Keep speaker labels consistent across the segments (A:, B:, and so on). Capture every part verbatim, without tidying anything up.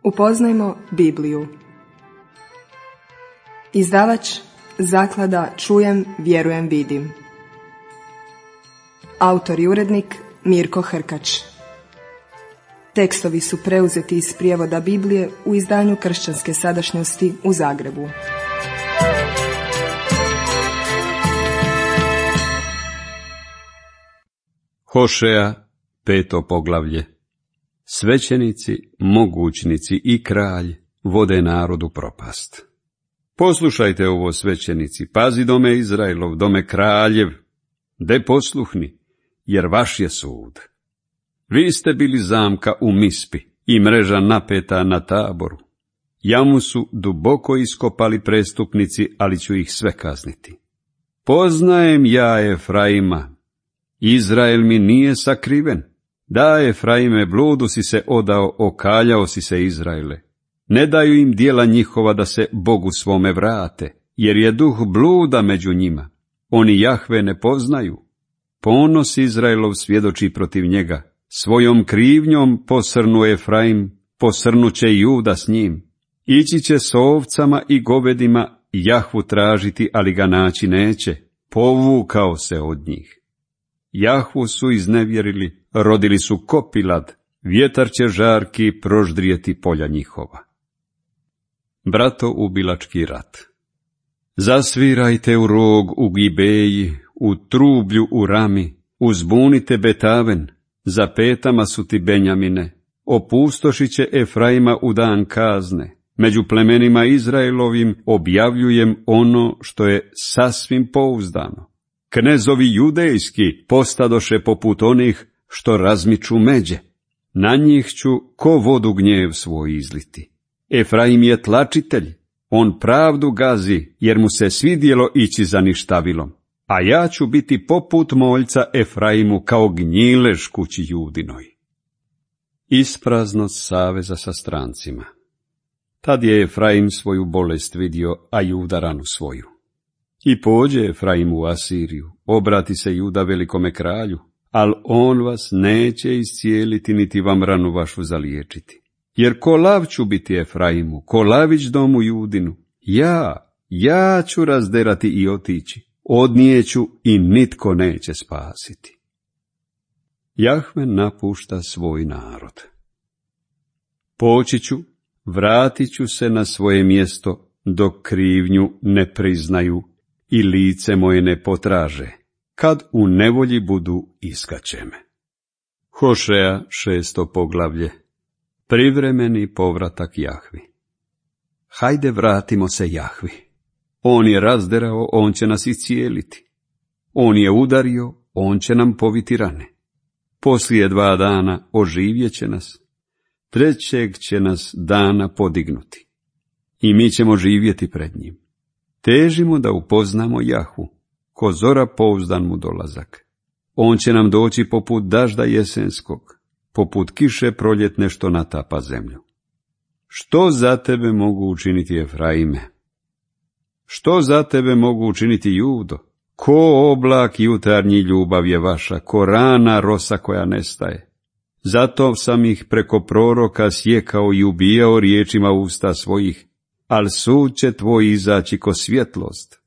A: Upoznajmo Bibliju. Izdavač Zaklada Čujem, vjerujem, vidim. Autor i urednik Mirko Hrkač. Tekstovi su preuzeti iz prijevoda Biblije u izdanju Kršćanske sadašnjosti u Zagrebu.
B: Hošeja, peto poglavlje. Svećenici, mogućnici i kralj vode narodu propast. Poslušajte ovo, svećenici, pazi dome Izraelov, dome kraljev, de posluhni, jer vaš je sud. Vi ste bili zamka u Mispi i mreža napeta na Taboru. Jamu su duboko iskopali prestupnici, ali ću ih sve kazniti. Poznajem ja Efraima, Izrael mi nije sakriven. Da, Efraime, bludu si se odao, okaljao si se, Izraele. Ne daju im djela njihova da se Bogu svome vrate, jer je duh bluda među njima. Oni Jahve ne poznaju. Ponos Izraelov svjedoči protiv njega. Svojom krivnjom posrnu Efraim, posrnuće i Juda s njim. Ići će s ovcama i govedima, Jahvu tražiti, ali ga naći neće. Povukao se od njih. Jahvu su iznevjerili, rodili su kopilad, vjetar će žarki proždrijeti polja njihova. Brato ubilački rat. Zasvirajte u rog u Gibeji, u trublju u Rami, uzbunite Betaven, za petama su ti Benjamine, opustošit će Efraima u dan kazne, među plemenima Izraelovim objavljujem ono što je sasvim pouzdano. Knezovi judejski postadoše poput onih što razmiču međe. Na njih ću ko vodu gnjev svoj izliti. Efraim je tlačitelj, on pravdu gazi, jer mu se svidjelo ići za ništavilom. A ja ću biti poput moljca Efraimu kao gnjilež kući Judinoj. Ispraznost saveza sa strancima. Tad je Efraim svoju bolest vidio, a Juda ranu svoju. I pođe Efraim u Asiriju, obrati se Juda velikome kralju, al on vas neće iscijeliti, niti vam ranu vašu zaliječiti. Jer ko lav ću biti Efraimu, ko lavić domu Judinu, ja, ja ću razderati i otići, odnijeću i nitko neće spasiti. Jahve napušta svoj narod. Poći ću, vratit ću se na svoje mjesto, dok krivnju ne priznaju i lice moje ne potraže, kad u nevolji budu iskače me. Hošeja, šesto poglavlje. Privremeni povratak Jahvi. Hajde, vratimo se Jahvi. On je razderao, on će nas iscijeliti. On je udario, on će nam poviti rane. Poslije dva dana oživjet će nas, trećeg će nas dana podignuti. I mi ćemo živjeti pred njim. Težimo da upoznamo Jahvu, ko zora pouzdan mu dolazak. On će nam doći poput dažda jesenskog, poput kiše proljetne što natapa zemlju. Što za tebe mogu učiniti Efraime? Što za tebe mogu učiniti Judo? Ko oblak jutarnji ljubav je vaša, ko rana rosa koja nestaje. Zato sam ih preko proroka sjekao i ubijao riječima usta svojih, al sud će tvoj izaći ko svjetlost,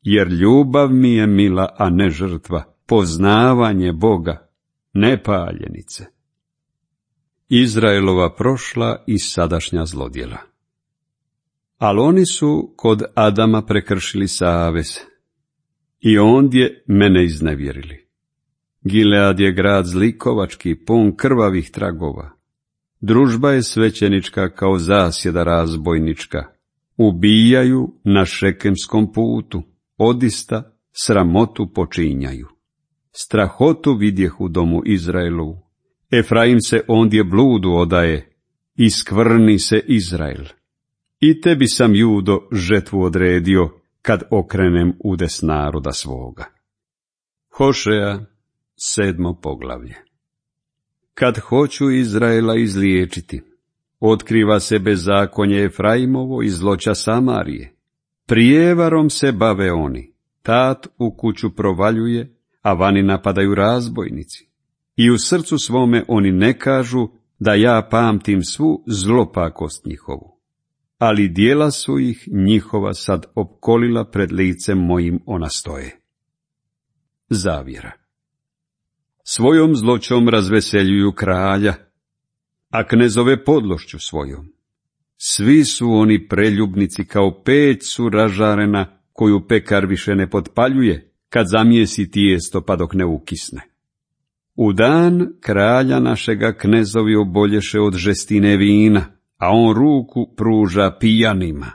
B: jer ljubav mi je mila, a ne žrtva, poznavanje Boga, ne paljenice. Izraelova prošla i sadašnja zlodjela. Al oni su kod Adama prekršili savez, i ondje mene iznevjerili. Gilead je grad zlikovački, pun krvavih tragova. Družba je svećenička kao zasjeda razbojnička. Ubijaju na šekemskom putu, odista sramotu počinjaju. Strahotu vidjeh u domu Izraelovu. Efraim se ondje bludu odaje, i skvrni se Izrael. I tebi sam, Judo, žetvu odredio, kad okrenem udes naroda svoga. Hošeja, sedmo poglavlje. Kad hoću Izraela izliječiti, otkriva se bezakonje Efraimovo i zloća Samarije. Prijevarom se bave oni, tat u kuću provaljuje, a vani napadaju razbojnici. I u srcu svome oni ne kažu da ja pamtim svu zlopakost njihovu, ali dijela su ih njihova sad opkolila pred licem mojim ona stoje. Zavjera. Svojom zloćom razveseljuju kralja, a knezove podlošću svojom. Svi su oni preljubnici kao peć su ražarena, koju pekar više ne potpaljuje, kad zamijesi tijesto pa dok ne ukisne. U dan kralja našega knezovi obolješe od žestine vina, a on ruku pruža pijanima.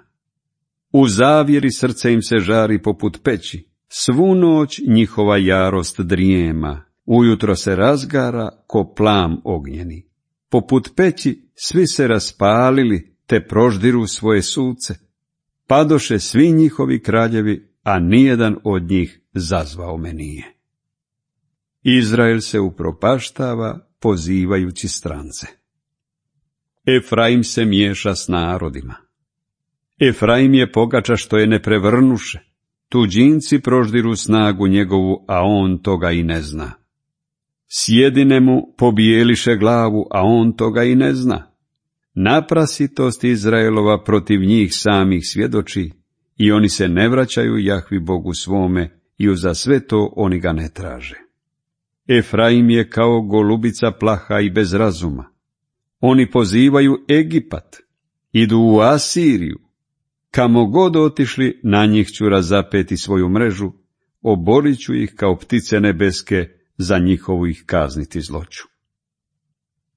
B: U zavjeri srce im se žari poput peći, svu noć njihova jarost drijema, ujutro se razgara ko plam ognjeni. Poput peći svi se raspalili, te proždiru svoje suce. Padoše svi njihovi kraljevi, a nijedan od njih zazvao me nije. Izrael se upropaštava, pozivajući strance. Efraim se miješa s narodima. Efraim je pogača što je ne prevrnuše. Tuđinci proždiru snagu njegovu, a on toga i ne zna. Sjedine mu pobijeliše glavu, a on toga i ne zna. Naprasitost Izraelova protiv njih samih svjedoči, i oni se ne vraćaju Jahvi Bogu svome, i uza sve to oni ga ne traže. Efraim je kao golubica plaha i bez razuma. Oni pozivaju Egipat, idu u Asiriju. Kamo god otišli, na njih ću razapeti svoju mrežu, oborit ću ih kao ptice nebeske, za njihovu ih kazniti zloću.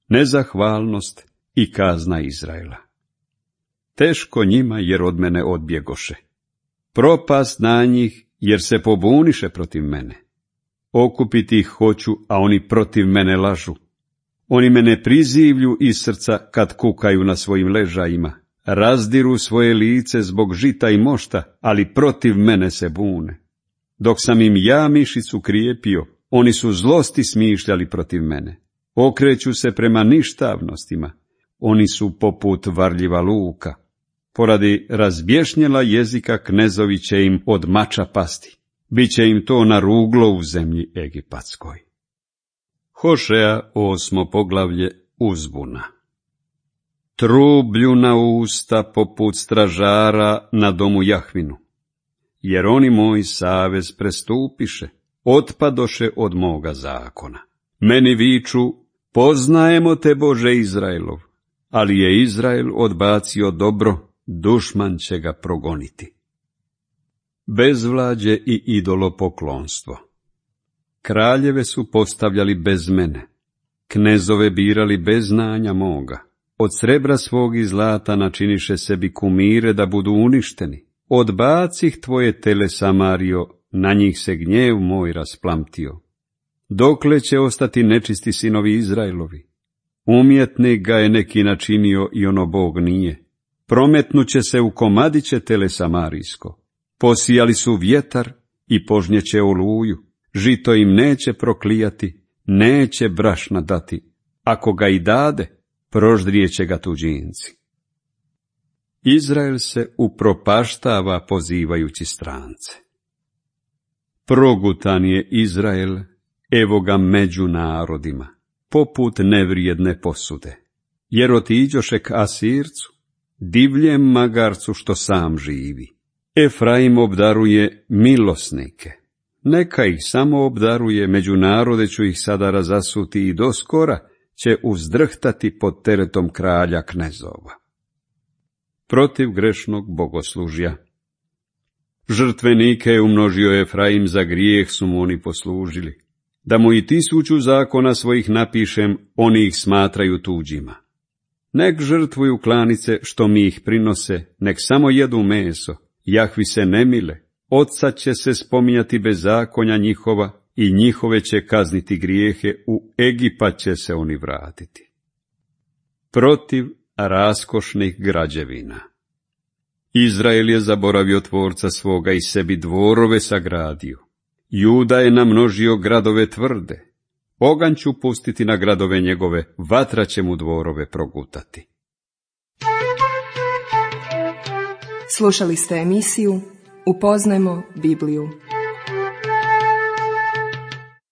B: Nezahvalnost i kazna Izraela. Teško njima jer od mene odbjegoše. Propast na njih jer se pobuniše protiv mene. Okupiti ih hoću, a oni protiv mene lažu. Oni mene prizivlju iz srca kad kukaju na svojim ležajima. Razdiru svoje lice zbog žita i mošta, ali protiv mene se bune. Dok sam im ja mišicu krijepio, oni su zlosti smišljali protiv mene. Okreću se prema ništavnostima. Oni su poput varljiva luka. Poradi razbješnjela jezika knezovi će im od mača pasti. Biće im to na ruglo u zemlji egipatskoj. Hošea osmo poglavlje uzbuna. Trublju na usta poput stražara na domu Jahvinu. Jer oni moj savez prestupiše, otpadoše od moga zakona. Meni viču, poznajemo te Bože Izraelov, ali je Izrael odbacio dobro, dušman će ga progoniti. Bezvlađe i idolopoklonstvo. Kraljeve su postavljali bez mene, knezove birali bez znanja moga. Od srebra svog i zlata načiniše sebi kumire da budu uništeni. Odbacih tvoje tele, Samario, na njih se gnjev moj rasplamtio. Dokle će ostati nečisti sinovi Izraelovi? Umjetnik ga je neki načinio i ono Bog nije. Prometnuće se u komadiće tele Samarijsko. Posijali su vjetar i požnjeće oluju. Žito im neće proklijati, neće brašna dati. Ako ga i dade, proždrijeće ga tuđinci. Izrael se upropaštava pozivajući strance. Progutan je Izrael, evo ga među narodima, poput nevrijedne posude. Jer otiđoše k Asircu, divljem magarcu što sam živi. Efraim obdaruje milosnike. Neka ih samo obdaruje, među narode ću ih sada razasuti i doskora će uzdrhtati pod teretom kralja knezova. Protiv grešnog bogoslužja. Žrtvenike je umnožio Efraim, za grijeh su mu oni poslužili. Da mu i tisuću zakona svojih napišem, oni ih smatraju tuđima. Nek žrtvuju klanice što mi ih prinose, nek samo jedu meso, Jahvi se ne mile, odsad će se spominjati bezakonja njihova i njihove će kazniti grijehe, u Egipat će se oni vratiti. Protiv raskošnih građevina. Izrael je zaboravio tvorca svoga i sebi dvorove sagradio. Juda je namnožio gradove tvrde. Oganj ću pustiti na gradove njegove, vatra će mu dvorove progutati.
A: Slušali ste emisiju Upoznajmo Bibliju.